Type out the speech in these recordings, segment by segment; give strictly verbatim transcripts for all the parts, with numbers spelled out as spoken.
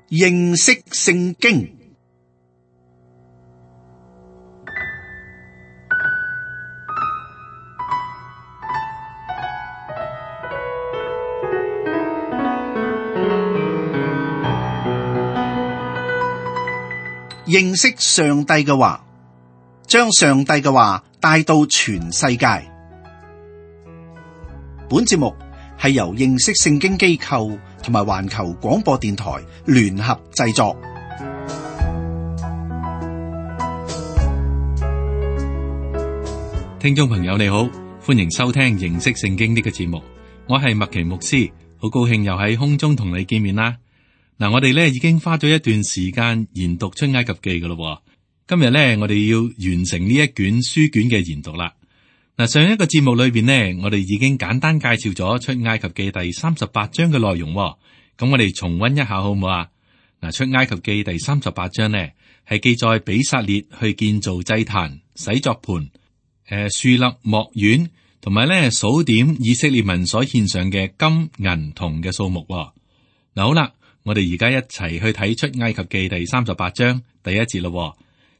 認識聖經。認識上帝嘅話，將上帝嘅話帶到全世界。本節目係由認識聖經機構同埋環球廣播電台聯合製作。聽眾朋友你好，歡迎收聽認識聖經呢個節目。我係麥奇牧師，好高興又喺空中同你見面啦。嗱，我哋咧已經花咗一段時間研讀出埃及記噶咯。今日咧，我哋要完成呢一卷書卷嘅研讀啦。嗱，上一個節目裏邊呢，我哋已經簡單介紹咗出埃及記第三十八章嘅內容。咁我哋重溫一下好唔好啊？嗱，出埃及記第三十八章呢，係記載比撒列去建造祭壇、洗作盤、誒樹立幕院，同埋咧數點以色列民所獻上嘅金銀銅嘅數目。嗱，好啦。我哋而家一齊去睇出埃及記第三十八章第一節咯。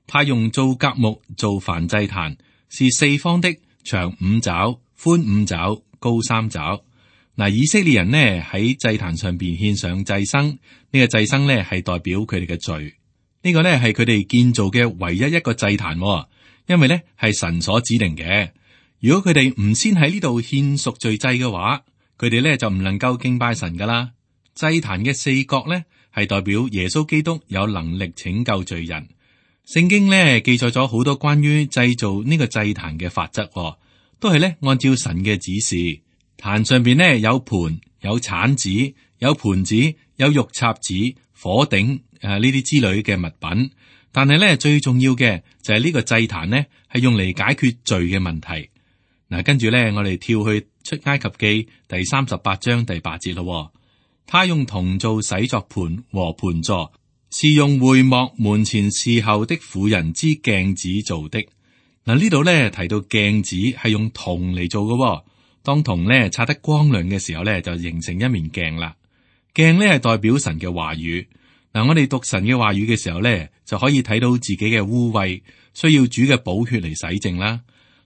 他用皂莢木做燔祭壇，是四方的，長五肘，寬五肘，高三肘。嗱，以色列人呢喺祭壇上邊獻上祭牲，呢、這個祭牲呢係代表佢哋嘅罪。呢、這個呢係佢哋建造嘅唯一一個祭壇，因為呢係神所指定嘅。如果佢哋唔先喺呢度獻贖罪祭嘅話，佢哋呢就唔能夠敬拜神噶啦。祭壇嘅四角咧，係代表耶穌基督有能力拯救罪人。聖經咧記載咗好多關於製造呢個祭壇嘅法則，都係咧按照神嘅指示。壇上邊咧有盤、有鏟子、有盤子、有肉插子、火頂誒呢啲之類嘅物品。但係咧最重要嘅就係呢個祭壇咧係用嚟解決罪嘅問題。嗱，跟住咧我哋跳去出埃及記第三十八章第八節咯。他用銅做洗作盤和盤座，是用會幕門前侍候的婦人之鏡子做的。嗱，呢度咧提到鏡子係用銅嚟做嘅，當銅咧擦得光亮嘅時候咧，就形成一面鏡啦。鏡咧係代表神嘅話語。嗱，我哋讀神嘅話語嘅時候咧，就可以睇到自己嘅污穢，需要主嘅寶血嚟洗淨啦。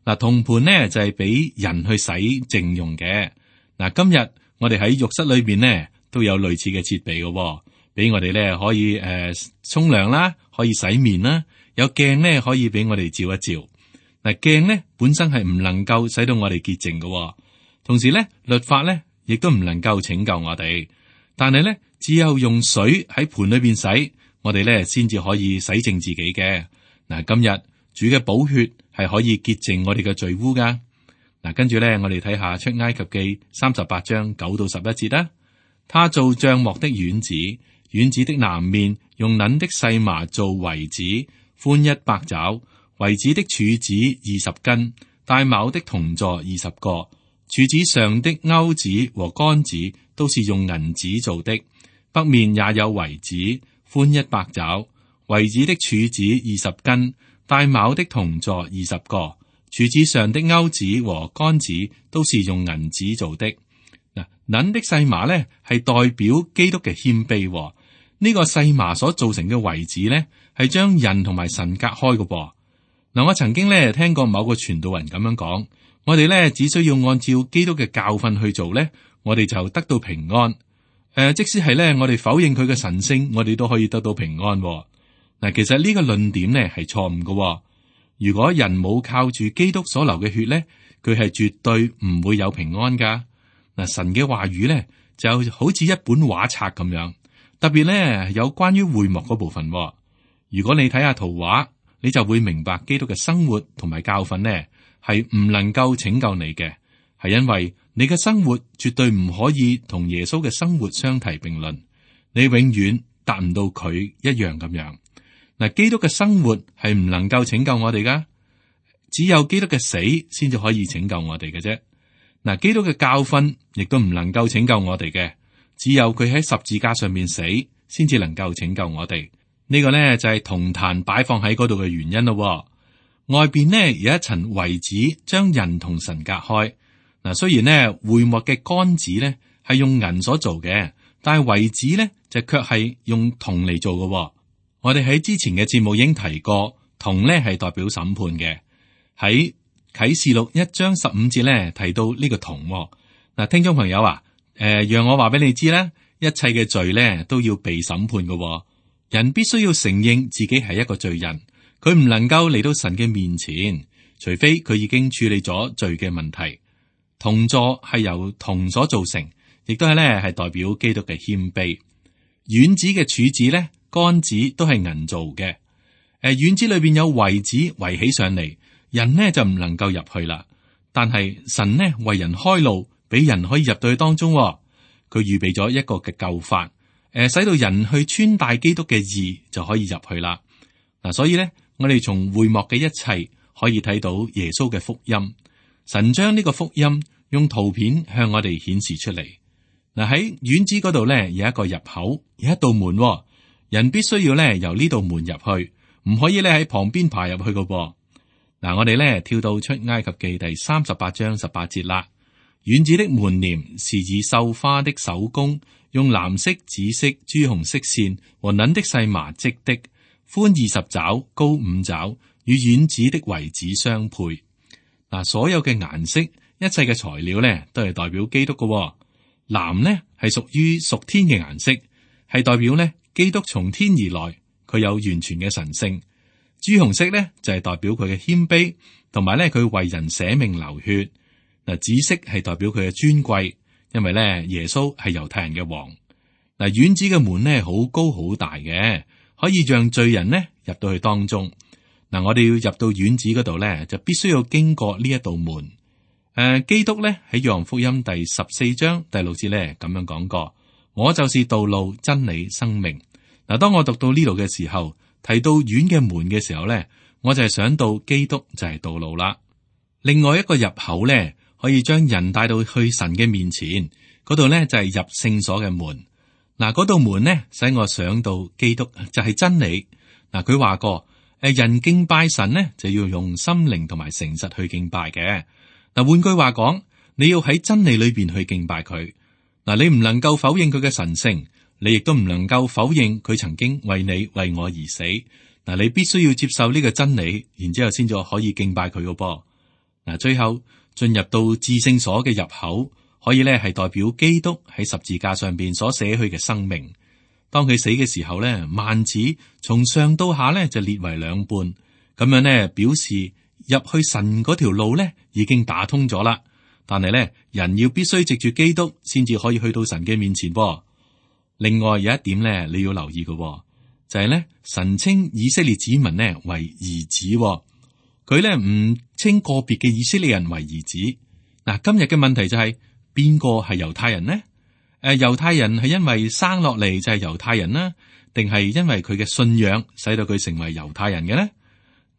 嗱，銅盤咧就係俾人去洗淨用嘅。嗱，今日我哋喺浴室裏邊呢，都有類似嘅設備嘅，俾我哋咧可以誒沖涼啦，可以洗面啦，有鏡咧可以俾我哋照一照。嗱，鏡咧本身係唔能夠使到我哋潔淨嘅，同時咧律法咧亦都唔能夠拯救我哋。但係咧只有用水喺盤裏邊洗，我哋咧先至可以洗淨自己嘅。嗱，今日主嘅寶血係可以潔淨我哋嘅罪污噶。嗱，跟住咧我哋睇下出埃及記三十八章九到十一節啦。他做帳幕的院子，院子的南面用捻的細麻做圍子，寬一百肘，圍子的柱子二十根，帶卯的銅座二十個，柱子上的鈎子和桿子都是用銀子做的。北面也有圍子，寬一百肘，圍子的柱子二十根，帶卯的銅座二十個，柱子上的鈎子和桿子都是用銀子做的。嗱，捻的細麻咧係代表基督嘅謙卑。呢、這個細麻所造成嘅圍子咧係將人同埋神隔開嘅噃。嗱，我曾經咧聽過某個傳道人咁樣講，我哋咧只需要按照基督嘅教訓去做咧，我哋就得到平安。誒、呃，即使係咧我哋否認佢嘅神性，我哋都可以得到平安。嗱，其實呢個論點咧係錯誤嘅。如果人冇靠住基督所流嘅血咧，佢係絕對唔會有平安噶。嗱，神嘅話語咧就好似一本畫冊咁樣，特別咧有關於會幕嗰部分。如果你睇下圖畫，你就會明白基督嘅生活同埋教訓咧係唔能夠拯救你嘅，係因為你嘅生活絕對唔可以同耶穌嘅生活相提並論，你永遠達唔到佢一樣咁樣。嗱，基督嘅生活係唔能夠拯救我哋噶，只有基督嘅死先至可以拯救我哋嘅啫。嗱，基督嘅教訓亦都唔能夠拯救我哋嘅，只有佢喺十字架上面死，先至能夠拯救我哋。呢、這個呢，就係銅壇擺放喺嗰度嘅原因咯。外邊呢，有一層圍子，將人同神隔開。嗱，雖然呢會幕嘅桿子呢係用銀所做嘅，但係圍子呢就卻係用銅嚟做嘅。我哋喺之前嘅節目已經提過，銅咧係代表審判嘅。喺啟示錄一章十五節咧提到呢個銅。嗱，聽眾朋友啊，誒、呃，讓我話俾你知咧，一切嘅罪咧都要被審判嘅。人必須要承認自己係一個罪人，佢唔能夠嚟到神嘅面前，除非佢已經處理咗罪嘅問題。銅座係由銅所造成，亦都係咧係代表基督嘅謙卑。院子嘅柱子咧，杆子都係銀做嘅。誒、呃，院子裏邊有圍子圍起上嚟，人呢就唔能夠入去啦。但係神呢為人開路，俾人可以入到去當中。佢預備咗一個嘅救法，誒、呃，使到人去穿戴基督嘅義就可以入去啦。嗱、啊，所以咧，我哋從會幕嘅一切可以睇到耶穌嘅福音。神將呢個福音用圖片向我哋顯示出嚟。嗱、啊，喺院子嗰度咧有一個入口，有一道門、哦，人必須要咧由呢道門入去，唔可以咧喺旁邊爬入去噶噃。嗱、啊，我哋咧跳到出埃及記第三十八章十八節啦。院子的門簾是以繡花的手工，用藍色、紫色、朱紅色線和捻的細麻織的，寬二十肘，高五肘，與院子的圍子相配。嗱，所有嘅顏色，一切嘅材料咧，都係代表基督嘅、哦。藍呢係屬於屬天嘅顏色，係代表咧基督從天而來，佢有完全嘅神性。朱紅色咧就係、是、代表佢嘅謙卑，同埋咧佢為人捨命流血。嗱，紫色係代表佢嘅尊貴，因為咧耶穌係猶太人嘅王。嗱，院子嘅門咧好高好大嘅，可以讓罪人呢入到去當中。嗱，我哋要入到院子嗰度咧，就必須要經過呢一道門。誒、呃，基督咧喺約翰福音第十四章第六節咧咁樣講過：我就是道路、真理、生命。嗱，當我讀到呢度嘅時候，提到院嘅門嘅時候咧，我就係想到基督就係道路啦。另外一個入口咧，可以將人帶到去神嘅面前，嗰度咧就係入聖所嘅門。嗱，嗰道門呢，使我想到基督就係真理。嗱，佢話過，誒，人敬拜神呢，就要用心靈同埋誠實去敬拜嘅。嗱，換句話講，你要喺真理裏邊去敬拜佢。嗱，你唔能夠否認佢嘅神聖，你亦都唔能夠否認佢曾經為你為我而死。嗱，你必須要接受呢個真理，然之後先至可以敬拜佢嘅噃。嗱，最後進入到至聖所嘅入口，可以咧係代表基督喺十字架上邊所捨去嘅生命。當佢死嘅時候咧，幔子從上到下咧就裂為兩半，咁樣咧表示入去神嗰條路咧已經打通咗啦。但係咧，人要必須藉住基督先至可以去到神嘅面前噃。另外有一點咧，你要留意嘅就係咧，神稱以色列子民呢為兒子。佢咧唔稱個別嘅以色列人為兒子。嗱，今日嘅問題就係邊個係猶太人呢？誒、呃，猶太人係因為生落嚟就係猶太人啦，定係因為佢嘅信仰使到佢成為猶太人嘅呢？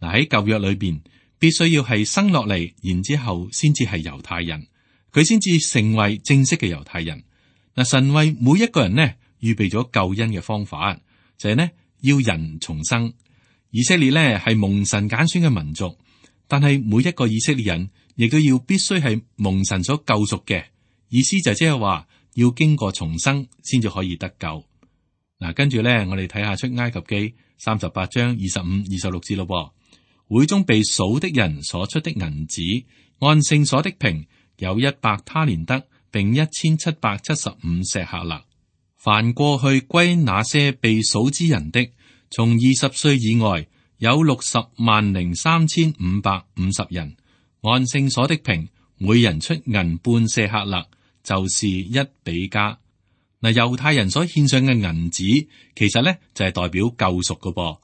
嗱，喺舊約裏邊，必須要係生落嚟，然之後先至係猶太人，佢先至成為正式嘅猶太人。嗱，神為每一個人呢預備咗救恩嘅方法，就係、是、呢要人重生。以色列咧係蒙神揀選嘅民族，但係每一個以色列人亦都要必須係蒙神所救贖嘅，意思就即係話要經過重生先至可以得救。嗱，跟住咧，我哋睇下出埃及記三十八章二十五、二十六節咯。會中被數的人所出的銀子，按聖所的平有一百他連得，並一千七百七十五舍客勒。凡過去歸那些被數之人的，從二十歲以外有六十萬零三千五百五十人，按聖所的平，每人出銀半舍客勒，就是一比加。嗱，猶太人所獻上嘅銀子，其實咧就係、是、代表救贖噶噃。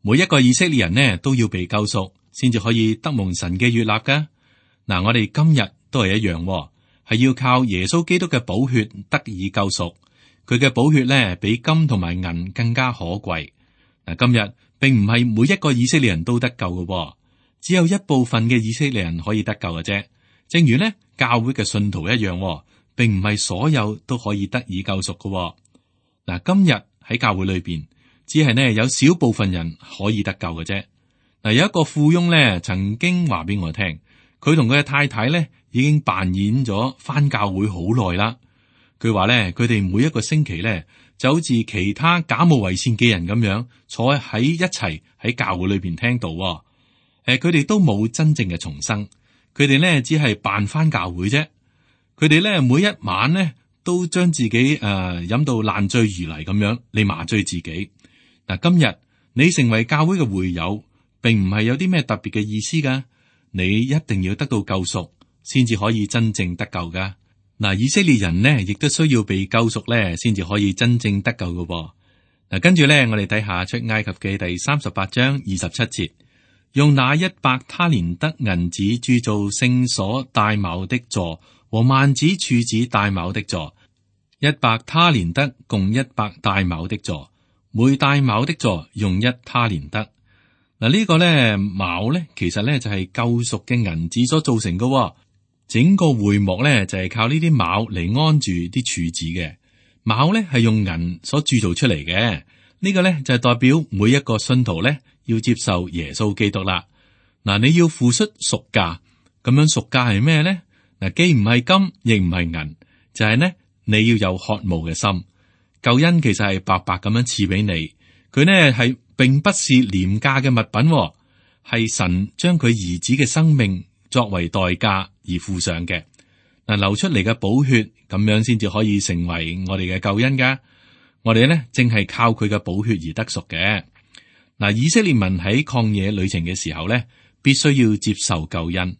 每一個以色列人呢都要被救贖，先至可以得蒙神嘅悅納噶。嗱，我哋今日都係一樣，係要靠耶穌基督嘅寶血得以救贖。佢嘅寶血咧比金同埋銀更加可貴。嗱，今日並唔係每一個以色列人都得救嘅，只有一部分嘅以色列人可以得救嘅啫。正如呢教會嘅信徒一樣，並唔係所有都可以得以救贖嘅。嗱，今日喺教會裏邊，只係呢有少部分人可以得救嘅啫。嗱，有一個富翁咧，曾經話俾我聽，佢同佢嘅太太咧已經扮演咗返教會好耐啦。佢話咧，佢哋每一個星期咧就好似其他假冒為善嘅人咁樣坐喺一齊喺教會裏邊聽道。誒，佢哋都冇真正嘅重生，佢哋咧只係扮翻教會啫。佢哋咧每一晚咧都將自己誒飲、呃、到爛醉如泥咁樣嚟麻醉自己。嗱，今日你成為教會嘅會友，並唔係有啲咩特別嘅意思噶。你一定要得到救贖，先至可以真正得救噶。嗱，以色列人呢，亦都需要被救贖咧，先至可以真正得救噶。嗱，跟住咧，我哋睇下出埃及記第三十八章二十七節，用那一百他連得銀子鑄造聖所帶卯的座和幔子柱子帶卯的座，一百他連得共一百帶卯的座，每帶卯的座用一他連得。嗱，呢個咧卯咧，其實咧就係救贖嘅銀子所造成嘅。整個會幕咧就係靠呢啲卯嚟安住啲柱子嘅。卯咧係用銀所鑄造出嚟嘅。呢個咧就係代表每一個信徒咧要接受耶穌基督啦。嗱，你要付出贖價，咁樣贖價係咩咧？嗱，既唔係金，亦唔係銀，就係呢，你要有渴慕嘅心。救恩其實係白白咁樣賜俾你，佢呢係並不是廉價嘅物品，係神將佢兒子嘅生命作為代價而付上嘅。嗱，流出嚟嘅寶血，咁樣先至可以成為我哋嘅救恩噶。我哋呢正係靠佢嘅寶血而得贖嘅。嗱，以色列民喺曠野旅程嘅時候呢，必須要接受救恩。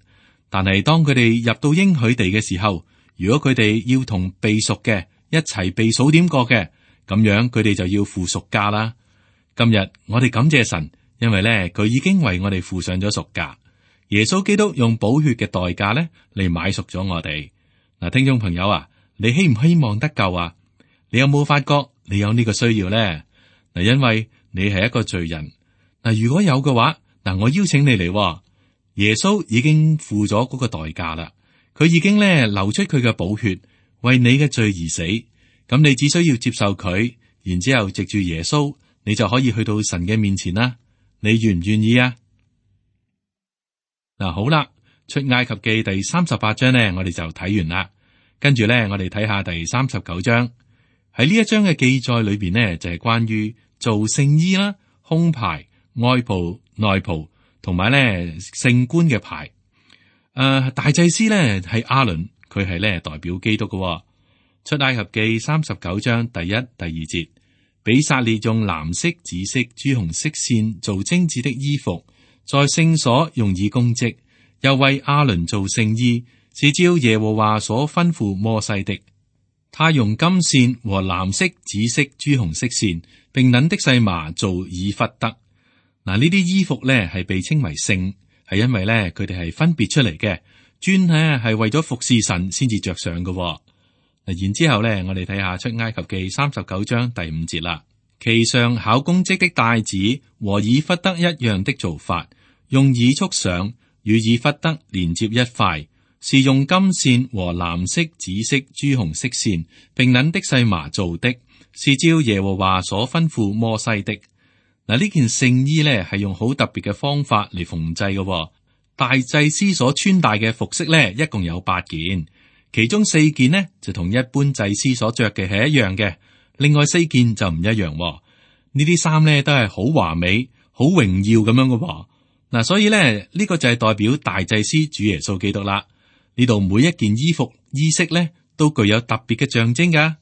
但係當佢哋入到應許地嘅時候，如果佢哋要同被贖嘅一齊被數點過嘅，咁樣佢哋就要付贖價啦。今日我哋感謝神，因為咧佢已經為我哋付上咗贖價。耶穌基督用寶血嘅代價咧嚟買贖咗我哋。嗱，聽眾朋友啊，你希唔希望得救啊？你有冇發覺你有呢個需要咧？嗱，因為你係一個罪人。嗱，如果有嘅話，嗱，我邀請你嚟。耶穌已經付咗嗰個代價啦，佢已經咧流出佢嘅寶血，為你嘅罪而死。咁你只需要接受佢，然之後藉住耶穌，你就可以去到神嘅面前啦。你願唔願意啊？嗱，好啦，出埃及記第三十八章呢，我哋就睇完啦。跟住咧，我哋睇下第三十九章。喺呢一章嘅記載裏邊呢，就係關於做聖衣啦、胸牌、外袍、內袍。同埋咧，聖冠嘅牌，誒、呃，大祭司咧係亞倫，佢係咧代表基督嘅、哦。出埃及記三十九章第一、第二節，比撒列用藍色、紫色、朱紅色線做精緻的衣服，在聖所用以供職，又為亞倫做聖衣，是照耶和華所吩咐摩西的。他用金線和藍色、紫色、朱紅色線，並捻的細麻做以弗得。嗱，呢啲衣服咧係被稱為聖，係因為咧佢哋係分別出嚟嘅，專咧係為咗服侍神先至着上嘅。嗱，然之後咧，我哋睇下出埃及記三十九章第五節啦。其上巧工織的帶子和以弗得一樣的做法，用以束上，與以弗得連接一塊，是用金線和藍色、紫色、朱紅色線，並捻的細麻做的，是照耶和華所吩咐摩西的。嗱，呢件聖衣咧係用好特別嘅方法嚟縫製嘅。大祭司所穿戴嘅服飾咧，一共有八件，其中四件呢就同一般祭司所着嘅係一樣嘅，另外四件就唔一樣。呢啲衫咧都係好華美、好榮耀咁樣嘅。嗱，所以咧呢、呢個就係代表大祭司主耶穌基督啦。呢度每一件衣服衣飾咧都具有特別嘅象徵噶。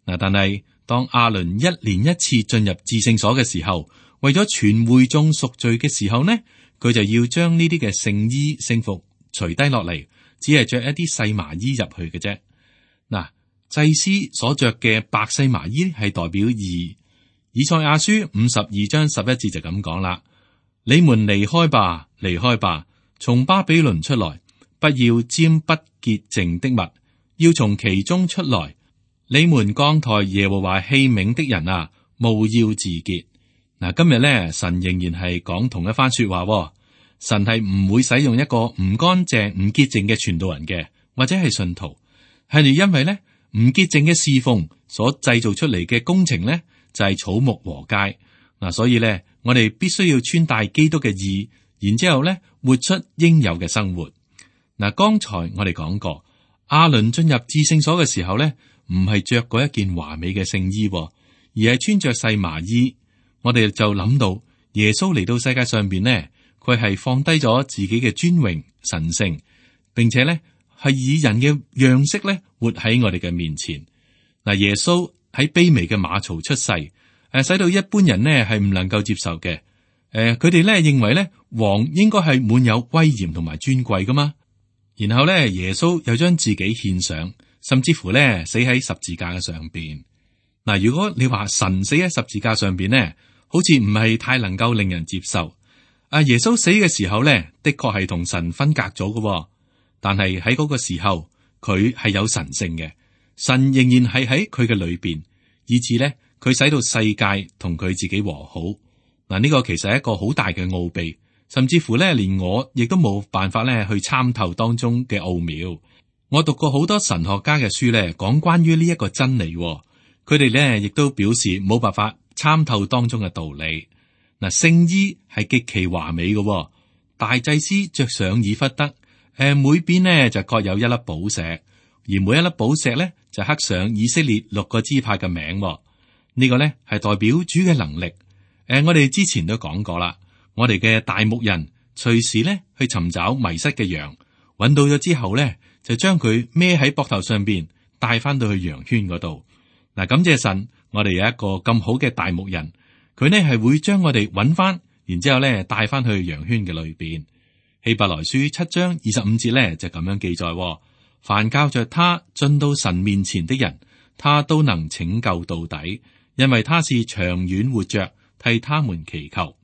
嗱，但係當亞倫一年一次進入至聖所嘅時候，為咗全會眾贖罪嘅時候呢，佢就要將呢啲嘅聖衣聖服除低落嚟，只係着一啲細麻衣入去嘅啫。嗱，祭司所着嘅白細麻衣係代表義。以賽亞書五十二章十一節就咁講啦：你們離開吧，離開吧，從巴比倫出來，不要沾不潔淨的物，要從其中出來。你們扛抬耶和華器皿的人啊，務要自潔。嗱，今日咧，神仍然係講同一番說話，哦。神係唔會使用一個唔乾淨、唔潔淨嘅傳道人嘅，或者係信徒，係因為咧唔潔淨嘅侍奉所製造出嚟嘅工程咧，就係、是、草木禾秸。嗱，所以咧，我哋必須要穿戴基督嘅義，然之後咧，活出應有嘅生活。嗱，剛才我哋講過，亞倫進入至聖所嘅時候咧，唔係着過一件華美嘅聖衣，而係穿着細麻衣，我哋就諗到耶穌嚟到世界上邊呢，佢係放低咗自己嘅尊榮神聖，並且呢係以人嘅樣式咧活喺我哋嘅面前。嗱，耶穌喺卑微嘅馬槽出世，誒，使到一般人呢係唔能夠接受嘅。誒，佢哋咧認為咧王應該係滿有威嚴同埋尊貴噶嘛。然後咧耶穌又將自己獻上，甚至乎咧死喺十字架嘅上邊。嗱，如果你話神死喺十字架上邊呢，好似唔係太能夠令人接受。阿耶穌死嘅時候咧，的確係同神分隔咗嘅，但係喺嗰個時候佢係有神性嘅，神仍然係喺佢嘅裏邊，以致咧佢使到世界同佢自己和好。嗱，呢個其實係一個好大嘅奧秘，甚至乎咧連我亦都冇辦法咧去參透當中嘅奧妙。我讀過好多神學家嘅書咧，講關於呢一個真理，佢哋咧亦都表示冇辦法參透當中嘅道理。嗱，聖衣係極其華美嘅，大祭司着上以弗得，誒，每邊呢就各有一粒寶石，而每一粒寶石咧就刻上以色列六個支派嘅名。呢個咧係代表主嘅能力。誒，我哋之前都講過啦，我哋嘅大牧人隨時咧去尋找迷失嘅羊，揾到咗之後咧，就將佢孭喺膊頭上邊，帶翻到去羊圈嗰度。嗱，感謝神，我哋有一個咁好嘅大牧人，佢呢係會將我哋揾翻，然之後咧帶翻去羊圈嘅裏邊。希伯來書七章二十五節咧就咁樣記載：凡靠着他進到神面前的人，他都能拯救到底，因為他是長遠活着，替他們祈求。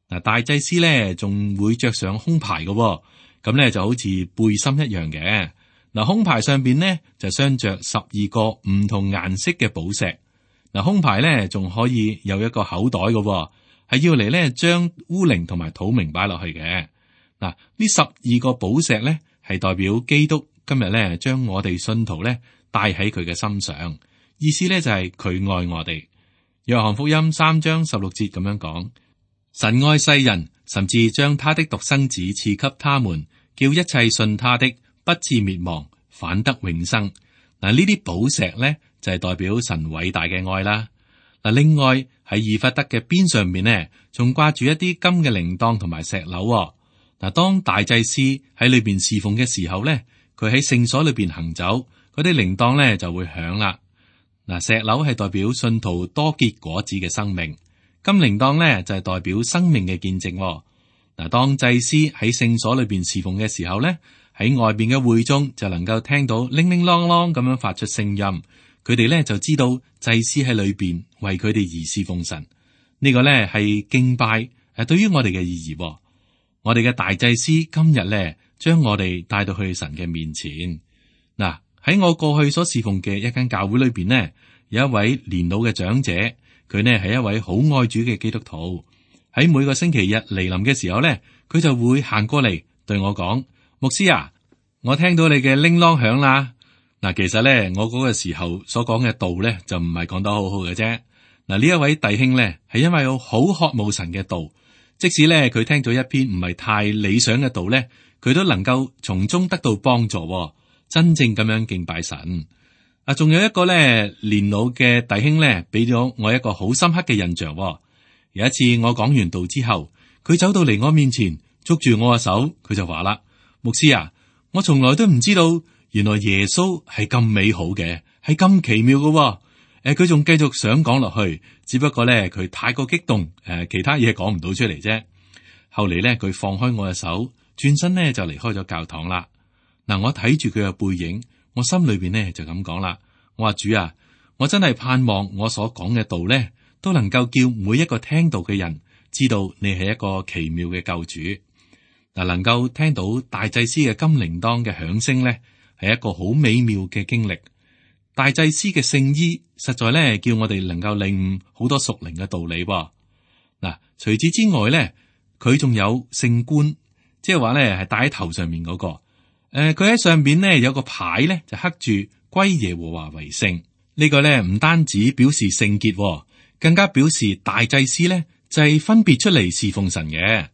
嗱，大祭司咧仲會着上胸牌嘅，咁咧就好似背心一樣嘅。嗱，胸牌上邊呢就鑲着十二個唔同顏色嘅寶石。嗱，胸牌咧仲可以有一個口袋嘅，係要嚟咧將烏靈同埋土明擺落去嘅。嗱，呢十二個寶石咧係代表基督今日咧將我哋信徒咧帶喺佢嘅心上，意思咧就係佢愛我哋。約翰福音三章十六節咁樣講：神愛世人，甚至將他的獨生子賜給他們，叫一切信他的不至滅亡，反得永生。嗱，呢啲寶石咧就係代表神偉大嘅愛啦。嗱，另外喺以弗得嘅邊上面呢，仲掛住一啲金嘅鈴鐺同埋石榴。嗱，當大祭司喺裏邊侍奉嘅時候咧，佢喺聖所裏邊行走，嗰啲鈴鐺咧就會響啦。嗱，石榴係代表信徒多結果子嘅生命，金鈴鐺咧就係代表生命嘅見證。嗱，當祭司喺聖所裏邊侍奉嘅時候咧，喺外邊嘅會中就能夠聽到鈴鈴啷啷咁樣發出聲音，佢哋咧就知道祭司喺裏邊為佢哋而侍奉神。呢個咧係敬拜誒，對於我哋嘅意義。我哋嘅大祭司今日咧將我哋帶到去神嘅面前。嗱，喺我過去所侍奉嘅一間教會裏邊呢，有一位年老嘅長者，佢呢係一位好愛主嘅基督徒。喺每個星期日嚟臨嘅時候呢，佢就會行過嚟對我講：牧師啊，我聽到你嘅鈴啷響啦。嗱，其實呢，我嗰個時候所講嘅道呢，就唔係講得好好嘅啫。嗱，呢一位弟兄呢，係因為有好渴慕神嘅道，即使呢，佢聽咗一篇唔係太理想嘅道呢，佢都能夠從中得到幫助，真正咁樣敬拜神。啊，仲有一個咧年老嘅弟兄咧，俾咗我一個好深刻嘅印象。有一次我講完道之後，佢走到嚟我面前，捉住我嘅手，佢就話啦：牧師啊，我從來都唔知道，原來耶穌係咁美好嘅，係咁奇妙嘅。誒，佢仲繼續想講落去，只不過咧佢太過激動，誒，其他嘢講唔到出嚟啫。後嚟咧，佢放開我嘅手，轉身咧就離開咗教堂啦。嗱，我睇住佢嘅背影，我心裏邊咧就咁講啦。我話主啊，我真係盼望我所講嘅道咧，都能夠叫每一個聽到嘅人知道你係一個奇妙嘅救主。嗱，能夠聽到大祭司嘅金鈴鐺嘅響聲咧，係一個好美妙嘅經歷。大祭司嘅聖衣實在咧，叫我哋能夠領悟好多屬靈嘅道理。嗱，除此之外咧，佢仲有聖冠，即係話咧係戴喺頭上面嗰個。誒，佢喺上邊咧有個牌咧，就刻住歸耶和華為聖。呢個咧唔單止表示聖潔，更加表示大祭司咧就係分別出嚟侍奉神嘅。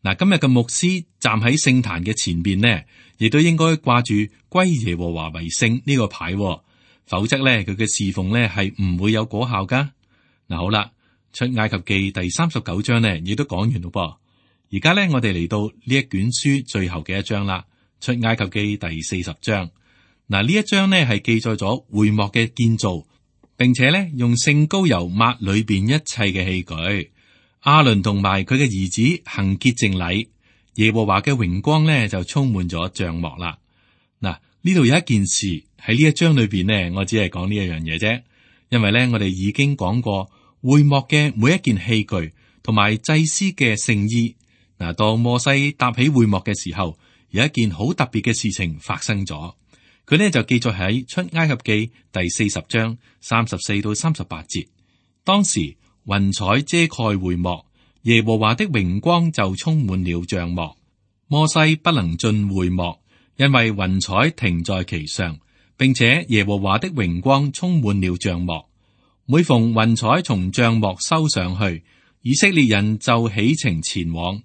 嗱，今日嘅牧師站喺聖壇嘅前邊呢，亦都應該掛住歸耶和華為聖呢個牌，否則咧佢嘅侍奉咧係唔會有果效噶。嗱，好啦，出埃及記第三十九章呢，亦都講完咯噃。而家咧，我哋嚟到呢一卷書最後嘅一章啦，出埃及記第四十章。嗱，呢一章呢係記載咗會幕嘅建造，並且咧用聖膏油抹裏邊一切嘅器具。亞倫同埋佢嘅兒子行潔淨禮，耶和華嘅榮光咧就充滿咗帳幕啦。嗱，呢度有一件事喺呢一章裏邊呢，我只係講呢一樣嘢啫，因為咧我哋已經講過會幕嘅每一件器具同埋祭司嘅聖衣。嗱，當摩西搭起會幕嘅時候，有一件好特別嘅事情發生咗。佢呢就記載喺出埃及記第四十章三十四到三十八節。當時雲彩遮蓋會幕，耶和華的榮光就充滿了帳幕。摩西不能進會幕，因為雲彩停在其上，並且耶和華的榮光充滿了帳幕。每逢雲彩從帳幕收上去，以色列人就起程前往。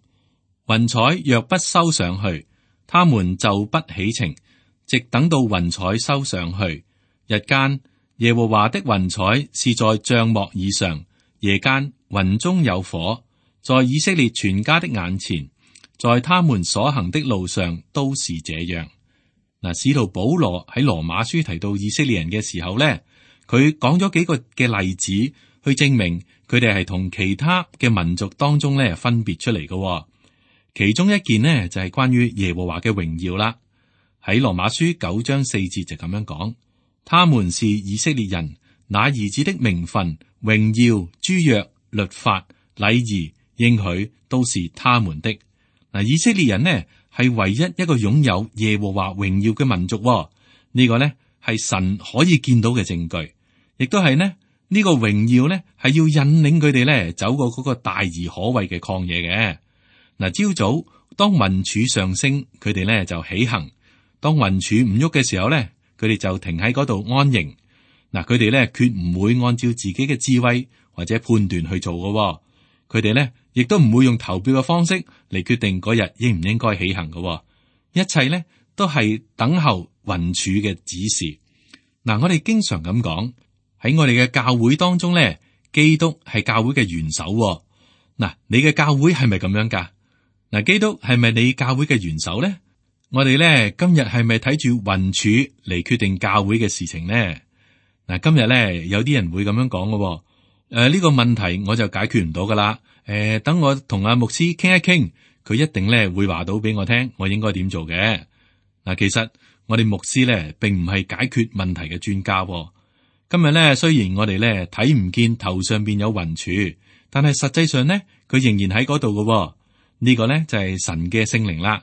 雲彩若不收上去，他們就不起程，直等到雲彩收上去。日間耶和華的雲彩是在帳幕以上，夜間雲中有火，在以色列全家的眼前，在他們所行的路上都是這樣。嗱，使徒保羅喺羅馬書提到以色列人嘅時候咧，佢講咗幾個嘅例子去證明佢哋係同其他嘅民族當中咧分別出嚟嘅。其中一件呢，就係關於耶和華嘅榮耀啦。喺羅馬書九章四節就咁樣講，他們是以色列人，那兒子的名分、榮耀、諸約、律法、禮儀、應許都是他們的。嗱，以色列人呢係唯一一個擁有耶和華榮耀嘅民族。呢個呢係神可以見到嘅證據，亦都係呢呢個榮耀呢係要引領佢哋呢走過嗰個大而可畏嘅曠野嘅。嗱，朝早當雲柱上升，佢哋咧就起行；當雲柱唔喐嘅時候咧，佢哋就停喺嗰度安營。嗱，佢哋咧決唔會按照自己嘅智慧或者判斷去做嘅。佢哋咧亦都唔會用投票嘅方式嚟決定嗰日應唔應該起行嘅。一切咧都係等候雲柱嘅指示。嗱，我哋經常咁講，喺我哋嘅教會當中咧，基督係教會嘅元首。嗱，你嘅教會係咪咁樣噶？嗱，基督係咪你教會嘅元首咧？我哋咧今日係咪睇住雲柱嚟決定教會嘅事情呢？嗱，今日咧有啲人會咁樣講嘅。誒、呃，呢、這個問題我就解決唔到噶啦。誒、呃，等我同阿牧師傾一傾，佢一定咧會話到俾我聽，我應該點做嘅。嗱，其實我哋牧師咧並唔係解決問題嘅專家。今日咧雖然我哋咧睇唔見頭上邊有雲柱，但係實際上咧佢仍然喺嗰度嘅。呢個呢就係神嘅聖靈啦，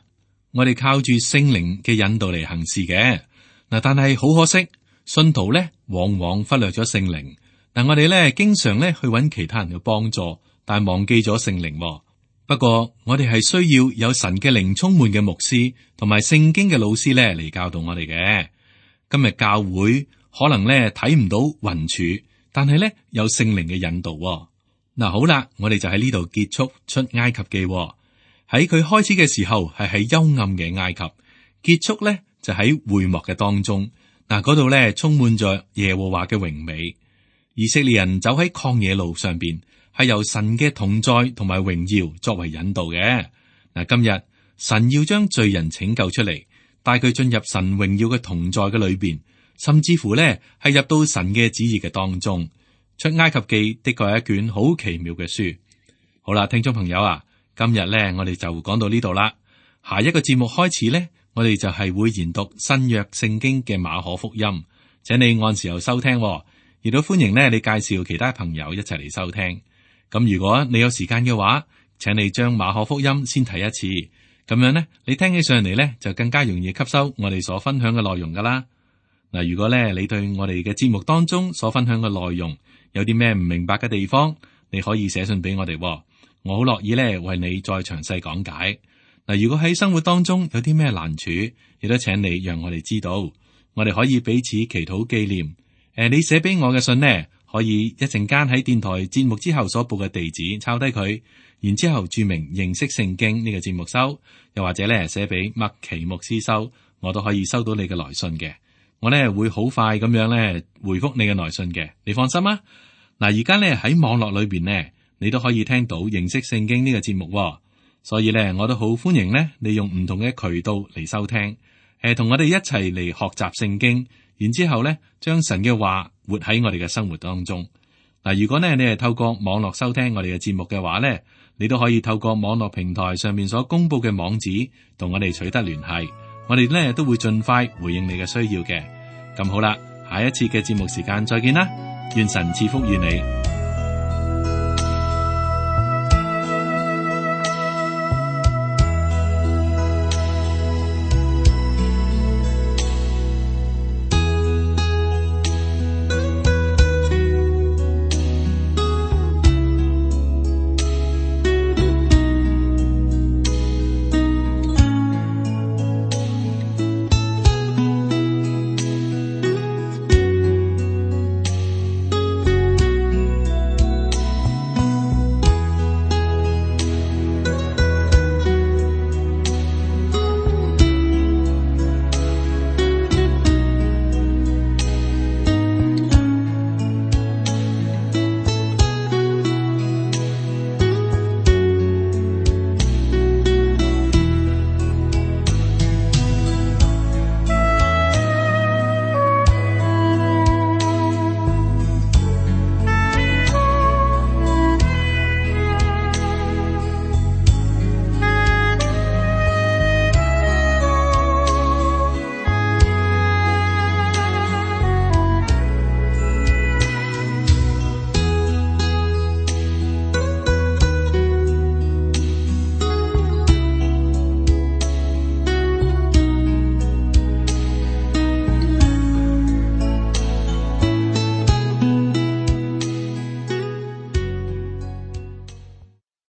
我哋靠住聖靈嘅引導嚟行事嘅。嗱，但係好可惜，信徒呢往往忽略咗聖靈。嗱，我哋呢經常呢去揾其他人嘅幫助，但係忘記咗聖靈。不過我哋係需要有神嘅靈充滿嘅牧師同埋聖經嘅老師呢嚟教導我哋嘅。今日教會可能呢睇唔到雲柱，但係呢有聖靈嘅引導。嗱，好啦，我哋就喺呢度結束出埃及記。喺佢開始嘅時候係喺幽暗嘅埃及，結束咧就喺會幕嘅當中。嗱，嗰度咧充滿咗耶和華嘅榮美。以色列人走喺曠野路上邊，係由神嘅同在同埋榮耀作為引導嘅。嗱，今日神要將罪人拯救出嚟，帶佢進入神榮耀嘅同在嘅裏邊，甚至乎咧係入到神嘅旨意嘅當中。出埃及記的確係一卷好奇妙嘅書。好啦，聽眾朋友啊，今日咧我哋就講到呢度啦。下一個節目開始咧，我哋就係會研讀新約聖經嘅馬可福音，請你按時候收聽，亦都歡迎咧你介紹其他朋友一齊嚟收聽。咁如果你有時間嘅話，請你將馬可福音先睇一次，咁樣咧你聽起上嚟咧就更加容易吸收我哋所分享嘅內容噶啦。嗱，如果咧你對我哋嘅節目當中所分享嘅內容有啲咩唔明白嘅地方，你可以寫信俾我哋，我好樂意咧為你再詳細講解。嗱，如果喺生活當中有啲咩難處，亦都請你讓我哋知道，我哋可以彼此祈禱紀念。誒，你寫俾我嘅信呢，可以一陣間喺電台節目之後所報嘅地址抄低佢，然之後注明認識聖經呢個節目收，又或者咧寫俾麥奇牧師收，我都可以收到你嘅來信嘅。我咧會好快咁樣咧回覆你嘅來信嘅，你放心啊。嗱，而家咧喺網絡裏邊呢，你都可以聽到認識聖經呢個節目喎，所以咧我都好歡迎呢，利用唔同嘅渠道嚟收聽，誒，同我哋一齊嚟學習聖經，然之後咧將神嘅話活喺我哋嘅生活當中。嗱，如果呢你係透過網絡收聽我哋嘅節目嘅話咧，你都可以透過網絡平台上面所公布嘅網址同我哋取得聯繫，我哋咧都會盡快回應你嘅需要嘅。咁好啦，下一次嘅節目時間再見啦，願神賜福於你。